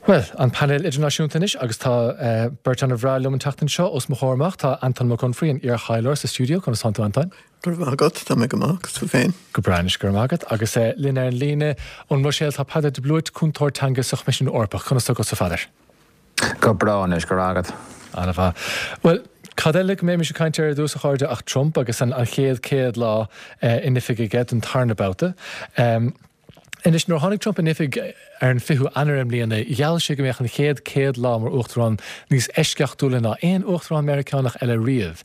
Bhuel, an painéal idirnáisiúnta anois agus tá beirt an-bhreá liom an tseachtain seo. Os mo chomhair amach tá Anton Mac Unfraidh, an iar-thaidhleoir sa stiúideo. Conas tánn tú, Antoin? Go raibh maith agat, tá mé go maith, agus tú féin? Go breá anois, go raibh maith agat. Agus linn ar an líne ón mBruiséil tá Peadar de Blúit, cúntóir teanga sa Choimisiún Eorpach. Conas tá agatsa, a Pheadair? Go breá anois, go raibh agat. An-mhaith. Bhuel, cad eile go mbeimis ag caint air ar dtús, a chairde, ach Trump agus an chéad 100 lá in oifig aige don tarna babhta. Anois, nuair a tháinig Trump in oifig ar an 20ú Eanáir i mbliana, gheall sé go mbeadh an chéad 100 lá mar uachtarán níos eisceachtúla ná aon uachtarán Meiriceánach eile riamh.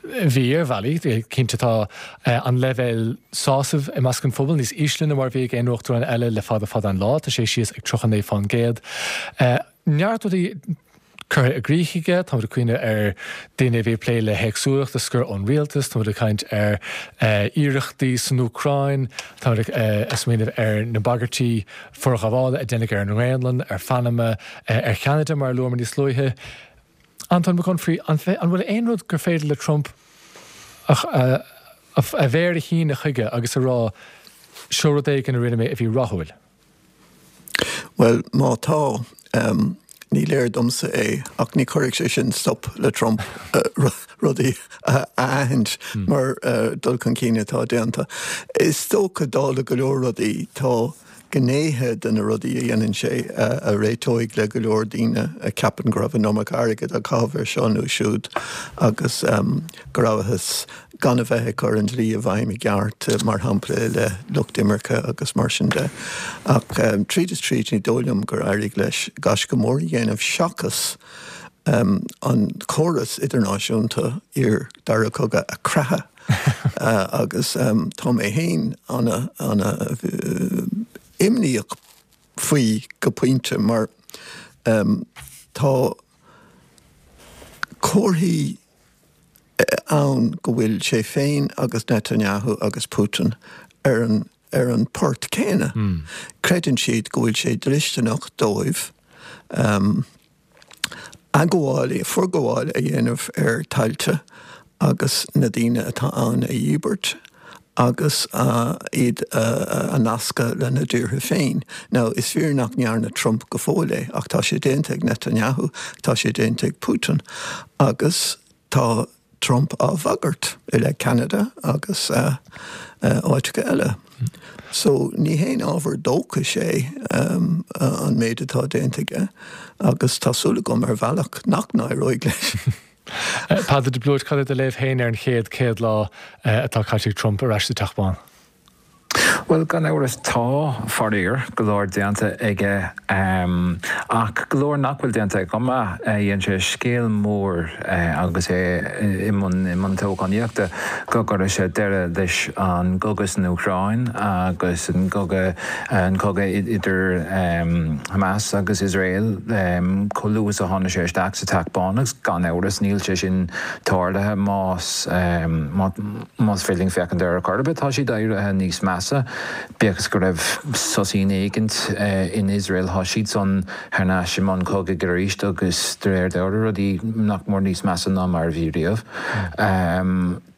Bhí, ar bhealaí. Cinnte, tá an leibhéal sásaimh i measc an phobail níos ísle ná mar a bhí ag aon uachtarán eile le fada fada an lá, tá sé síos ag 39 fán gcéad. Neart rudaí curtha i gcrích aige, táimid ag cuimhneamh ar daoine a bhí ag plé le héagsúlacht a scor ón rialtas, táimid ag caint ar iarrachtaí san Úcráin, táimid ag smaoineamh ar na bagairtí forghabhála a deineadh ar an nGraonlainn, ar Phanama, ar Cheanada, mar a luamar níos luaithe. Antóin Mac Unfraidh, an bhfuil aon rud gur féidir le Trump a mhéar a shíneadh chuige agus a rá, seo rud éigin a rinne mé a bhí rathúil? Bhuel, má tá, ní léir domsa é, ach ní chuirfidh sé sin stop le Trump rudaí a aithint mar dul chun cinn atá déanta. Is dócha, dála go leor rudaí, tá gnéithe de na rudaí a dhéanann sé a réiteoidh le go leor daoine a cheapann go raibh an iomarca airgid á chaitheamh ar seo nó siúd agus go rabhthas gan a bheith ag cur an dlí i bhfeidhm i gceart, mar shampla i leith lucht imirce agus mar sin de. Ach tríd is tríd ní dóigh liom gur éirigh leis gaisce mór a dhéanamh seachas an córas idirnáisiúnta iar Dara Cogadh a chreathadh agus tá mé féin ana ana imníoch faoi go pointe mar tá comharthaí ann go bhfuil sé féin agus Netanyahu agus Putin ar an ar an port céanna. Creideann siad go bhfuil sé dlisteanach dóibh athghabháil, forghabháil a dhéanamh ar thailte agus na daoine atá ann a dhíbirt agus iad a nascadh lena dtíortha féin. Now, is fíor nach ndearna Trump go fóill é, ach tá sé déanta ag Netanyahu, tá sé déanta ag Putin agus tá Trump á bhagairt i leith Ceanada agus áiteacha eile. So, ní haon ábhar dóchais é an méid atá déanta aige agus tá súil agam ar bhealach nach n-éireoidh leis. Peadar de Blúit, cad é do léamh féin ar an chéad 100 lá atá caite ag Trump ar ais sa Teach Bán? Bhuel, gan amhras tá, faraor, go leor déanta aige ach go leor nach bhfuil déanta aige chomh maith. Dhein sé scéal mór agus é i mbun i mbun toghchánaíochta go gcuirfeadh sé deireadh leis an gcogadh san Úcráin agus an cogadh an cogadh idir Hamas agus Iosrael chomh luath is a tháinig sé isteach sa Teach Bán agus gan amhras níl sé sin tarlaithe más Más féidir linn féachaint air ar chor ar bith, tá siad éirithe níos measa. Bíodh is go raibh soisín éigint in Iosrael, tá siadsan thar n-ais i mbun cogaidh arís agus de réir dealraimh rudaí nach mór níos measa ná mar a bhí riamh.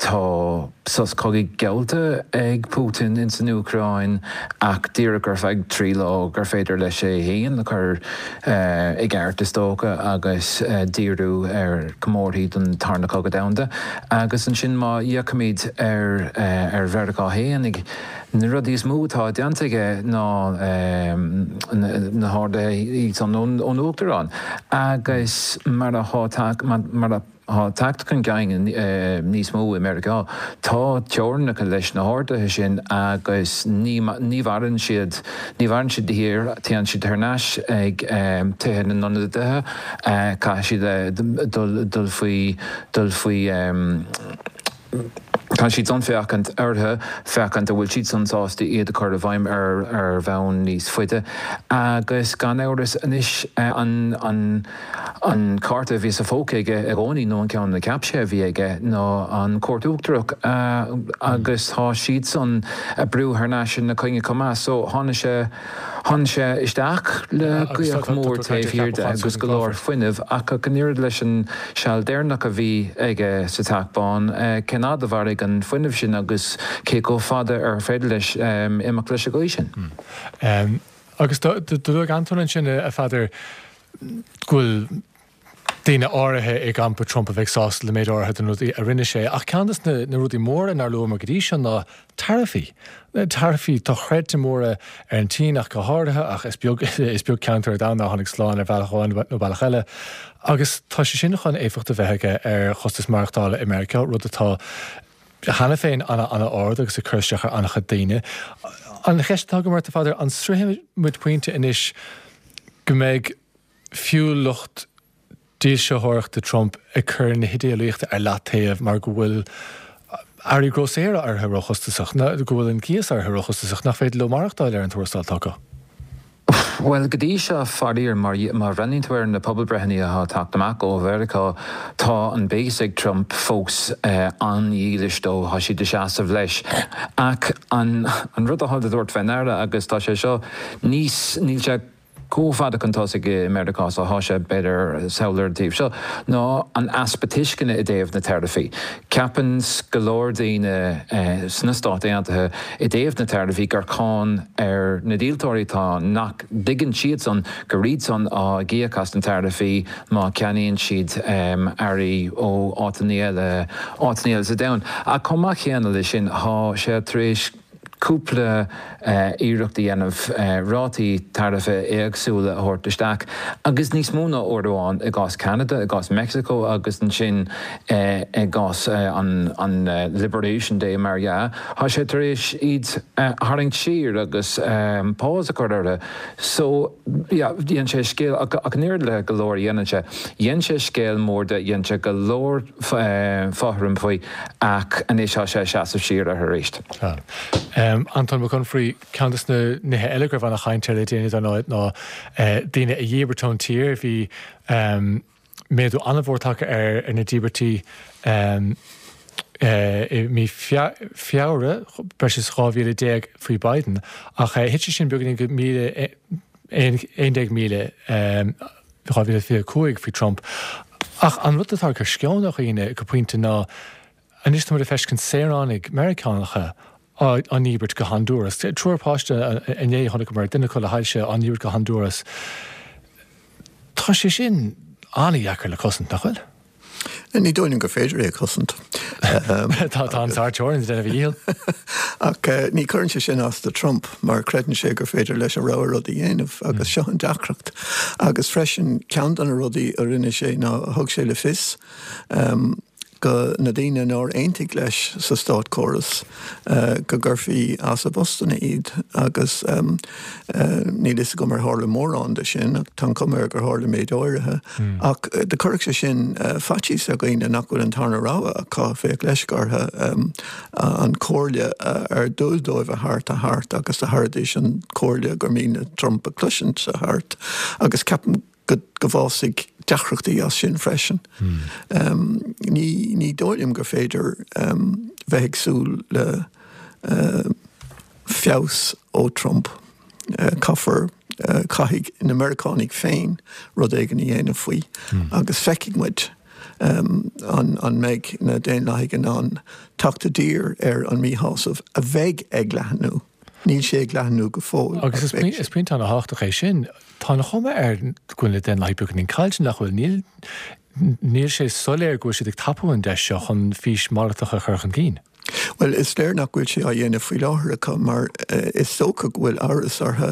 Tá sos cogaidh geallta ag Putin ins an Úcráin ach díreach ar feadh 3 lá gur féidir leis é féin a chur i gceart is dócha agus díriú ar chomórthaí don Tarna Cogadh Domhanda. Agus ansin má fhéachaimid ar ar Mheiriceá fhéinig, na rudaí is mó atá déanta aige ná na horduithe iad san ón Uachtarán. Agus mar atá mar atá teacht chun cinn níos mó i Meiriceá, tá teorainneacha leis na horduithe sin agus ní ní mhaireann siad ní mhaireann siad de shíor, téann siad thar n-ais ag tithe na n-ionadaithe, caithfidh siad dul dul faoi dul faoi Caithfidh siad san féachaint orthu, féachaint an bhfuil siad san sásta iad a chur i bhfeidhm ar ar bhonn níos faide. Agus gan amhras anois an an an cárta a bhí sa phóca aige i gcónaí, nó an ceann a cheap sé a bhí aige, ná an Chúirt Uachtarach agus tá siad san ag brú thar n-ais ina choinne chomh maith. So tháinig sé. Tháinig sé isteach le gaoth mhór taobh thiar de agus go leor fuinnimh, ach ach an oiread leis an seal deireanach a bhí aige sa Teach Bán, cén fhad a mhairfidh an fuinneamh sin agus cé chomh fada ar féidir leis imeacht leis an gcaoi sin? Agus do luaigh Antóin ansin, a Pheadair, go bhfuil daoine áirithe i gcampa Trump a bheidh sásta le méid áirithe de na rudaí a rinne sé. Ach ceann de na rudaí móra nár luamar go dtí seo ná taraifí. Taraifí dochreidte móra ar an tSín ach go háirithe, ach is beag is beag ceantar ar domhan nár tháinig slán ar bhealach amháin nó bealach eile. Agus tá sé sin chun éifeacht a bheith aige ar chostas maireachtála i Meiriceá, rud atá cheana féin an-an-ard agus ag cur isteach ar an-chuid daoine. An cheist atá agam ort, a Pheadair, an sroichfidh muid pointe anois go mbeidh fiú lucht dílseoireachta Trump ag cur na hidéalaíochta ar leataobh mar go bhfuil earraí grósaera éirithe róchostasach, nó go bhfuil an cíos éirithe róchostasach, nach féidir leo maireachtáil ar an tuarastal atá acu. Bhuel, go dtí seo, faraor, mar má bhreathnaíonn tú ar na pobalbreitheanna atá ag teacht amach ó Mheiriceá, tá an base ag Trump fós an-dhílis dó, tá siad ag seasamh leis. Ach an rud atá le tabhairt fé ndeara, agus tá sé seo níos, níl sé chomh fada chun tosaigh i Meiriceá is atá sé, b'fhéidir, thall ar an taobh seo, ná an easpa tuisceana i dtaobh na taraifí. Ceapann go leor daoine sna Stáit Aontaithe i dtaobh na taraifí gur cáin ar na díoltóirí atá ann, nach dtuigeann siadsan gur iadsan atá ag íoc as na taraifí má cheannaíonn siad earraí ó áiteanna eile, áiteanna eile sa domhan. Ach chomh maith céanna leis sin, tá sé tar éis. cúpla iarracht a dhéanamh rátaí taraife éagsúla a thabhairt isteach, agus níos mó ná uair amháin, i gcás Cheanada, i gcás Meicsiceo agus ansin i gcás an Liberation Day mar dhea, tá sé tar éis iad a tharraingt siar agus pause a chur orthu. So, yeah, dhein sé scéal, ach an oiread le go leor a dhéanann sé, dhein sé scéal mór de, dhein sé go leor fothraim faoi ach anois tá sé ag seasamh siar air arís. Tá. Antóin Mac Unfraidh, ceann de na nithe eile go raibh ana-chaint air le déanaí dar ndóigh ná daoine a dhíbirt ón tír. Bhí méadú an-mhór tagtha ar na díbirtí i mí Feabhra, breis is 12,000 faoi Biden, ach thit sé sin beagáinín go 11,000. 2025 faoi Trump. Ach an rud atá ag cur sceon ar dhaoine go pointe ná anois tá muid ag feiscint saoránaigh Meiriceánacha á ndíbirt go Honduras. Triúr páiste inné chonaiceamar, duine acu le hailse á ndíbirt go Honduras. Tá sé sin an-dheacair le cosaint, nach bhfuil? Ní dóigh liom gur féidir é a chosaint. Tá an sár-teorainn ag déanamh a dhícheall. Ach ní chuireann sé sin as do Trump mar creideann sé gur féidir leis a rogha rud a dhéanamh agus seo an deacracht. Agus freisin ceann de na rudaí a rinne sé ná thug sé le fios go na daoine nár aontaigh leis sa státchóras go gcuirfí as a bpostanna iad agus níl fhios agam ar tharla mórán de sin ach tá an chuma air gur tharla méid áirithe. Ach do chuirfeadh sé sin faitíos ar dhaoine nach bhfuil an tarna rogha acu, bheadh leisce orthu an chomhairle ar dual dóibh a thabhairt a thabhairt agus do thabharfaidís an chomhairle gur mian le Trump a chloisint a thabhairt agus ceapaim go go bhfásfaidh deacrachtaí as sin freisin. Ní ní dóigh liom gur féidir bheith ag súil le feabhas ó Trump. Caithfear, caithfidh na Meiriceánaigh féin rud éigin a dhéanamh faoi agus feicfidh muid an an mbeidh na Daonlathaigh in ann teacht i dtír ar an míshásamh a bheidh ag leathnú. Níl sé ag leathnú go fóill. Agus is pointe an-thábhachtach é sin. Tá an chuma air go bhfuil na Daonlathaigh beagáinín caillte, nach bhfuil? Níl níl sé soiléir go bhfuil siad ag tapú an deis seo chun fís mhalartach a chur chun cinn. Bhuel, is léir nach bhfuil sé á dhéanamh faoi láthair acu mar is dócha go bhfuil amhras orthu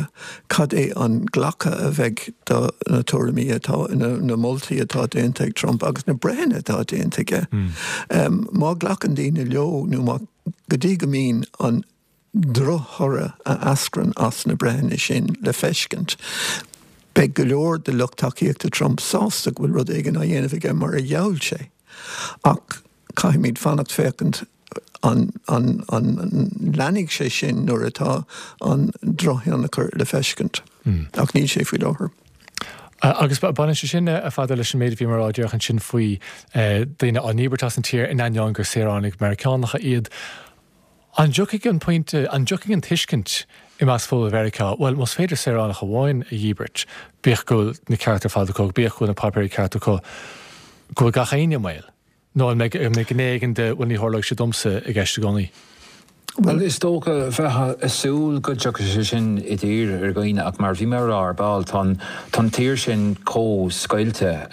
cad é an glacadh a bheidh do na tuairimí atá, na moltaí atá déanta ag Trump agus na breitheanna atá déanta aige. Má ghlacann daoine leo nó má, go dtí go mbíonn an drochthoradh a eascrann as na breitheanna sin le feiscint, beidh go leor de lucht tacaíochta Trump sásta go bhfuil rud éigin á dhéanamh aige mar a gheall sé. Ach caithfimid fanacht féachaint an an an leanfaidh sé sin nuair atá an drochthionchar le feiscint. Ach níl sé faoi láthair. Agus baineann sé sin, a Pheadair, leis an méid a bhíomar a rá díreach ansin faoi daoine á ndíbirt as an tír in ainneoin gur saoránaigh Meiriceánacha iad. An dtiocfaidh an pointe, an dtiocfaidh an tuiscint i measc phobal Mheiriceá, bhuel, más féidir saoránach amháin a dhíbirt, bíodh go bhfuil na cearta ar fad acu, bíodh go bhfuil na páipéirí ceart acu, go bhfuil gach éinne i mbaol? Nó an mbeidh, an mbeidh gné éigin de, bhuel, ní tharlóidh sé domsa i gceist i gcónaí? Bhuel, is dócha, bheifeá ag súil go dtiocfadh sé sin i dtír ar dhaoine ach mar a bhí mé a rá ar ball, tá an, tá an tír sin chomh scoilte.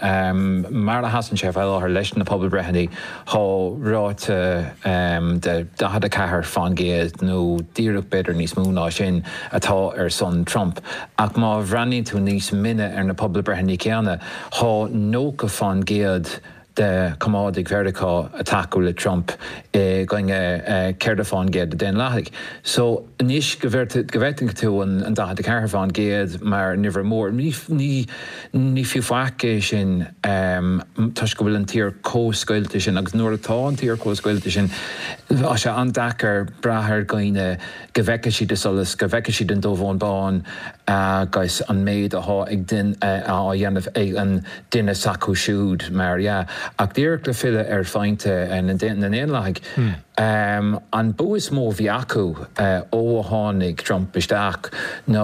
Mar a sheasann sé faoi láthair leis na pobalbreitheanna, tá ráite de 44% nó díreach b'fhéidir níos mó ná sin atá ar son Trump. Ach má bhreathnaíonn tú níos mine ar na pobalbreitheanna céanna, tá 90% de choimeádaigh Mheiriceá ag tacú le Trump i gcoinne 4% de Daonlathaigh. So anois go bhfeiceann tú an 44% mar uimhir mór, ní ní fiú faic é sin toisc go bhfuil an tír chomh scoilte sin agus nuair atá an tír chomh scoilte sin tá sé an-deacair brath ar dhaoine go bhfeicfidh siad an solas, go bhfeicfidh siad an dubh ón bán agus an méid atá ag á dhéanamh ag an duine s'acu siúd, mar dhea. Ach díreach le filleadh ar phointe na nDaonlathaigh, an bua is mó a bhí acu ó a tháinig Trump isteach ná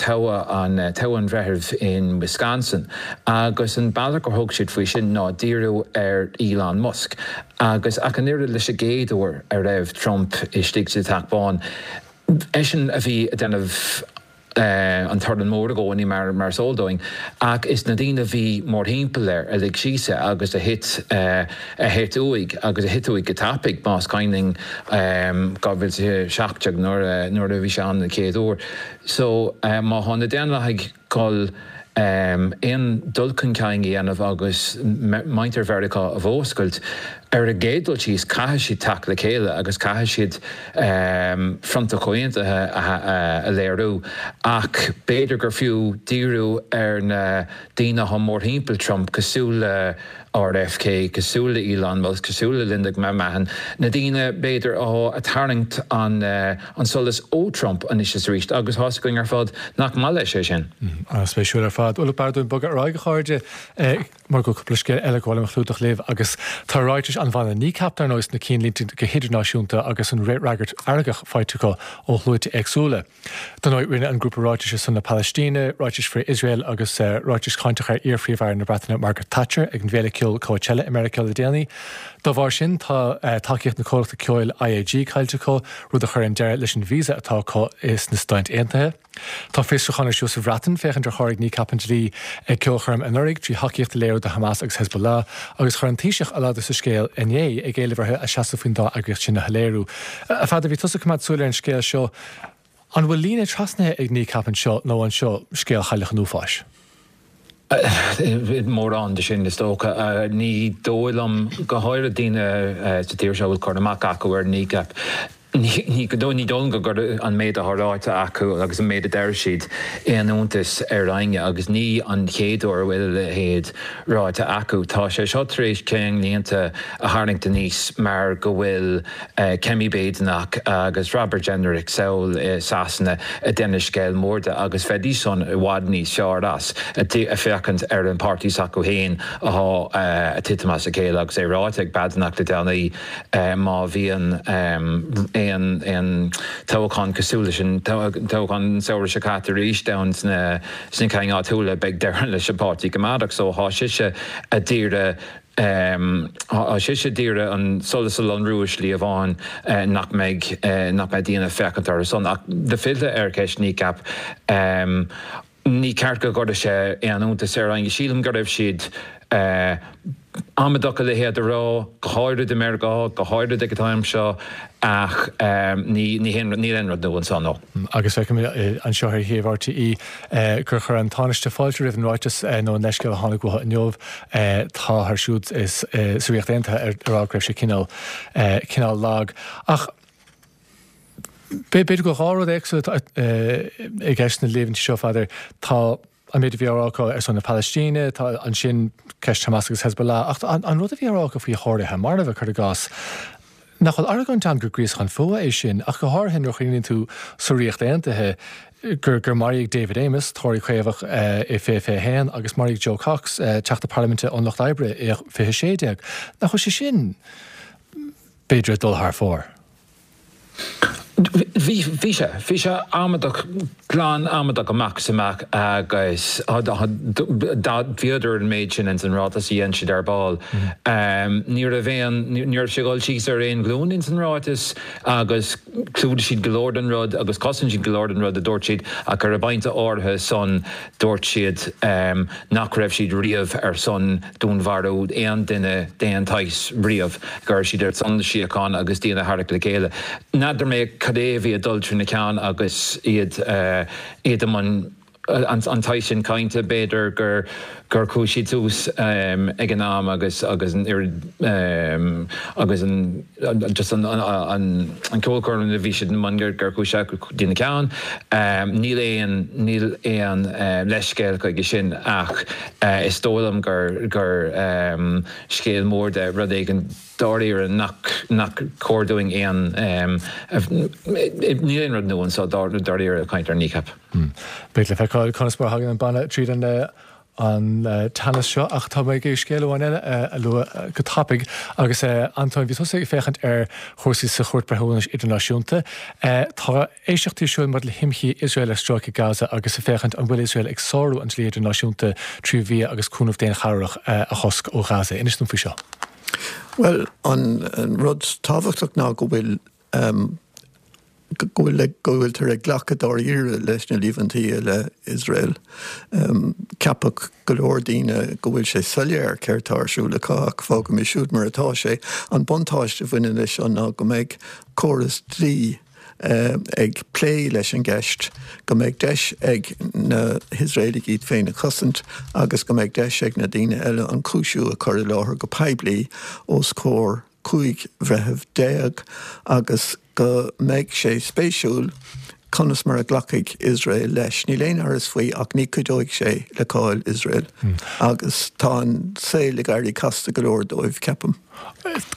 toghadh an toghadh an bhreithimh in Wisconsin agus an bealach ar thug siad faoi sin ná díriú ar Elon Musk. Agus ach an oiread leis an gcéad uair a raibh Trump istigh sa Teach Bán, eisean a bhí ag déanamh an torann mór i gcónaí mar is eol dúinn, ach is na daoine a bhí mórthimpeall air a lig síos é agus a thit a thit uaidh agus a thit uaidh go tapaidh, más cuimhin linn 2017 nuair nuair a bhí sé ann an chéad uair. So má thá na Daonlathaigh dhul aon dul chun cinn a dhéanamh agus muintir Mheiriceá a mhúscailt, ar an gcéad dul síos caithfidh siad teacht le chéile agus caithfidh siad fronta comhaontaithe a léiriú. Ach b'fhéidir gur fiú díriú ar na daoine atá mórthimpeall Trump cosúil le RFK, cosúil le Elon Musk, cosúil le Linda McMahon, na daoine, b'fhéidir, atá ag tarraingt an solas ó Trump anois is arís agus tá's againn ar fad nach maith leis é sin. An-spéisiúil ar fad. Bhuel, b'fhearr dúinn bogadh ar aghaidh, a chairde, mar go bhfuil cúpla scéal eile gur mhaith liom a chlúdach libh agus tá ráitis an bhanna Kneecap, dar ndóigh, sna cinnlínte go hidirnáisiúnta agus an fhreagairt fheargach faighte acu ó shluaite éagsúla. Dar ndóigh, rinne an grúpa ráitis ar son na Palaistíne, ráitis frith-Iosrael agus ráitis cháinteach ar iar-Phríomh-Aire na Breataine Margaret Thatcher ag an bhféile ceoil Coachella i Meiriceá le déanaí. Dá bharr sin, tá tacaíocht na comhlachta ceoil IAG caillte acu, rud a chuireann deireadh leis an visa atá acu sna Stáit Aontaithe. Tá fiosrúchán ar siúl sa Bhreatain féachaint ar sháraigh Kneecap an dlí ag ceolchoirm anuraidh trí thacaíocht a léiriú do Hamas agus Hezbollah agus chuir an Taoiseach a ladar sa scéal inné ag éileamh orthu a seasamh faoin dá eagraíocht sin a shoiléiriú. A Pheadair, bhí tusa ag coimeád súil ar an scéal seo. An bhfuil líne trasnaithe ag Kneecap anseo nó an seo scéal Chailleach an Uafáis? Mórán de sin, is dócha. Ní dóigh liom, go háirid daoine sa tír seo a bhfuil cur amach acu ar Kneecap, ní dóigh liom go gcuireann an méid atá ráite acu agus an méid a deir siad aon iontas ar éinne agus ní an chéad uair a bhfuil a leithéid ráite acu. Tá sé seo tar éis ceannlínte a tharraingt aníos mar go bhfuil Kemi Badenoch agus Robert Jenrick sall i Sasana ag déanamh scéal mór de agus bheidís san i bhfad níos fearr as ag féachaint ar an páirtí s'acu féin atá ag titim as a chéile agus é ráite ag Badenoch le déanaí má bhíonn aon toghchán cosúil leis an toghchán an samhradh seo caite arís ann sna cinn áitiúla beidh deireadh leis an bPáirtí Coimeádach so tá sise ag iarraidh Tá sise ag iarraidh an solas a lonrú i slí amháin nach mbeidh nach mbeidh daoine ag féachaint orthu san. Ach le filleadh ar cheist Kneecap, ní ceart go gcuirfeadh sé aon iontas ar éinne. Sílim go raibh siad amaideach a leithéid a rá, go háirid i Meiriceá, go háirid ag an t-am seo, ach ní níl aon rud nua anso, no. Agus feicim anseo ar shuíomh RTÉ gur chuir an Tánaiste fáilte roimh an ráiteas nó an leithscéal a tháinig uathu inniu. Táthar siúd sa Ríocht Aontaithe ag rá go raibh sé cineál cineál lag. Ach b'fhéidir go bhfuil dhá rud éagsúla i gceist sna líomhaintí seo, a Pheadair. Tá. an méid a bhí á rá acu ar son na Palaistíne, tá ansin ceist Hamas agus Hezbollah, ach an rud a bhí á rá acu faoi Thóraithe marbha, cuir i gcás, nach bhfuil argóint ann gur gríosachán fuatha é sin, ach go háirithe nuair a chuimhníonn tú sa Ríocht Aontaithe gur gur maraíodh David Amess, Tóraí Caomhach, i 2021 agus maraíodh Jo Cox, Teachta Parlaiminte ón Lucht Oibre, i 2016. Nach bhfuil sé sin, b'fhéidir, ag dul thar fóir? Bhí, bhí sé, bhí sé amaideach, glan amaideach amach is amach agus bhíodar an méid sin ins an ráiteas a dhein siad ar ball. Ní raibh aon, ní raibh sé ag dul síos ar aon ghlúin ins an ráiteas agus chlúdaigh siad go leor den rud agus chosain siad go leor den rud a dúirt siad ach ar an bpointe áirithe san dúirt siad nach raibh siad riamh ar son dúnmharú aon duine d'aon tsaghas riamh, go raibh siad ar son na síochána agus daoine a tharrac le chéile. N'fheadar mé cad é a bhí ag dul trína ceann agus iad iad i mbun an tsaghas sin cainte, b'fhéidir gur gur chuaigh siad suas ag an am agus agus an oiread agus an just an an ceolchoirm a bhí siad i mbun gur gur chuaigh sé go dtí na ceann. Níl aon níl aon leithscéal chuige sin ach is dóigh liom gur gur scéal mór de rud éigin dáiríre nach nach cóir dúinn aon níl aon rud nua anseo dáiríre ag caint ar Kneecap. Beidh le feiceáil conas mar a thagann an banna tríd an an teannas seo ach tá mé ag iarraidh scéal amháin eile a lua go tapaidh agus Antóin, bhí tusa ag féachaint ar chúrsaí sa Chúirt Breithiúnais Idirnáisiúnta. Tá éisteachtaí ar siúl maidir le himshuí Iosrael ar stráice Gaza agus ag féachaint an bhfuil Iosrael ag sárú an dlí idirnáisiúnta trí bhia agus cúnamh daonchabhrach a chosc ó Ghaza. Inis dom faoi seo. Bhuel, an rud tábhachtach ná go bhfuil go bhfuil go bhfuiltear ag glacadh dáiríre leis na líomhaintí i leith Iosrael. Ceapfadh go leor daoine go bhfuil sé soiléir céard tá ar siúl acu ach fágaimis siúd mar atá sé. An buntáiste a bhaineann leis seo ná go mbeidh córas dlí ag plé leis an gceist, go mbeidh deis ag na hIosraelaigh iad féin a chosaint agus go mbeidh deis ag na daoine eile an cúisiú a chur i láthair go poiblí os comhair 15 bhreitheamh agus go mbeidh sé spéisiúil conas mar a ghlacfaidh Iosrael leis. Níl aon amhras faoi ach ní chuideoidh sé le cáil Iosrael agus tá an saol ag éirí casta go leor dóibh, ceapaim.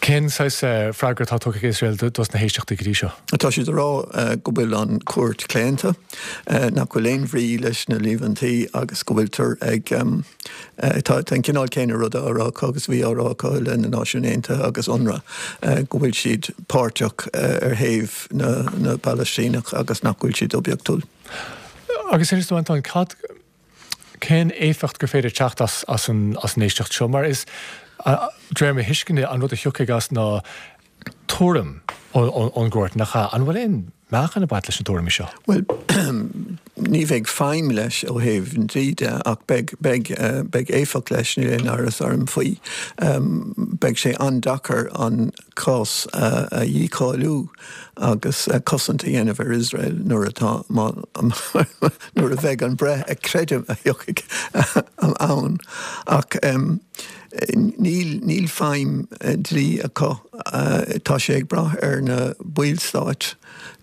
Cén saghas freagra atá tugtha ag Iosrael dos na héisteachtaí go dtí seo? Tá siad ag rá go bhfuil an chúirt claonta, nach bhfuil aon bhrí leis na líomhaintí agus go bhfuiltear ag Tá an cineál céanna ruda á rá acu agus a bhí á rá acu i leith na Náisiún Aontaithe agus UNRWA, go bhfuil siad páirteach ar thaobh na bPalaistíneach agus nach bhfuil siad oibiachtúil. Agus inis dom, Antóin, cad, cén éifeacht gur féidir teacht as as an as an éisteacht seo? Mar is, de réir mo thuisceana, an rud a thiocfaidh as ná tuairim ón gcúirt, nach ea? An bhfuil aon meáchan ag baint leis na tuairimí seo? Bhuel, ní bheidh feidhm leis ó thaobh an dlí de ach beidh, beidh, beidh éifeacht leis, níl aon amhras orm faoi. Beidh sé an-deacair an cás a dhícháiliú agus cosaint a dhéanamh ar Iosrael nuair atá, má, nuair a bheidh an breith a creidim a thiocfaidh ann. Ach. Níl, níl feidhm dlí acu. Tá sé ag brath ar na ballstáit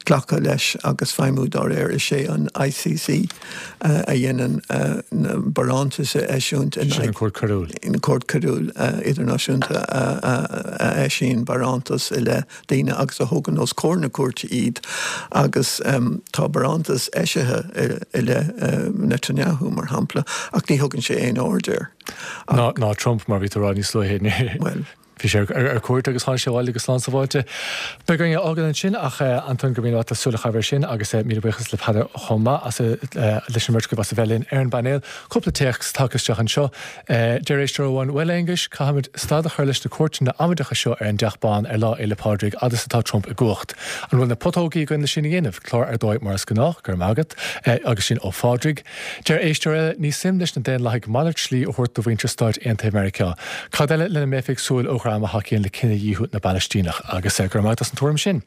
glacadh leis agus feidhmiú dá réir. Is é an ICC a dhéanann na barántais a eisiúint in aghaidh. Sin an Chúirt Choiriúil. An Chúirt Choiriúil Idirnáisiúnta a eisíonn barántas i leith daoine agus a thugann os comhair na cúirte iad agus tá barántas eisithe i leith Netanyahu, mar shampla, ach ní thugann sé aon aird air. Ná ná Trump, mar bhí tú a rá níos luaithe. Bhuel. Bhí sé ar cuairt agus tháinig sé abhaile go slán sábháilte. Beidh orainn é a fhágáil ansin ach Antóin, go raibh míle maith agat as súil a chaitheamh air sin agus míle buíochas le Peadar chomh maith as leis an mbeirt agaibh as a bheith linn ar an bpainéal. Cúpla téacs tagtha isteach anseo. Deir éisteoir amháin, Bhuel, a Aonghuis, caithfimid stad a chur leis na cuairteanna amaideacha seo ar an dTeach Bán ar Lá Fhéile Pádraig fhad is atá Trump i gcumhacht. An bhfuil na putógaí againn le sin a dhéanamh? Clár ar dóigh mar is gnách, go raibh maith agat. Agus sin ó Phádraig. Deir éisteoir eile, Ní suim leis na Daonlathaigh malairt slí a thabhairt do mhuintir Stáit Aontaithe Mheiriceá. Cad eile lena mbeifí ag súil ó dhream a thacaíonn le cinedhíothú na bPalaistíneach? Agus go raibh maith agat as an tuairim sin.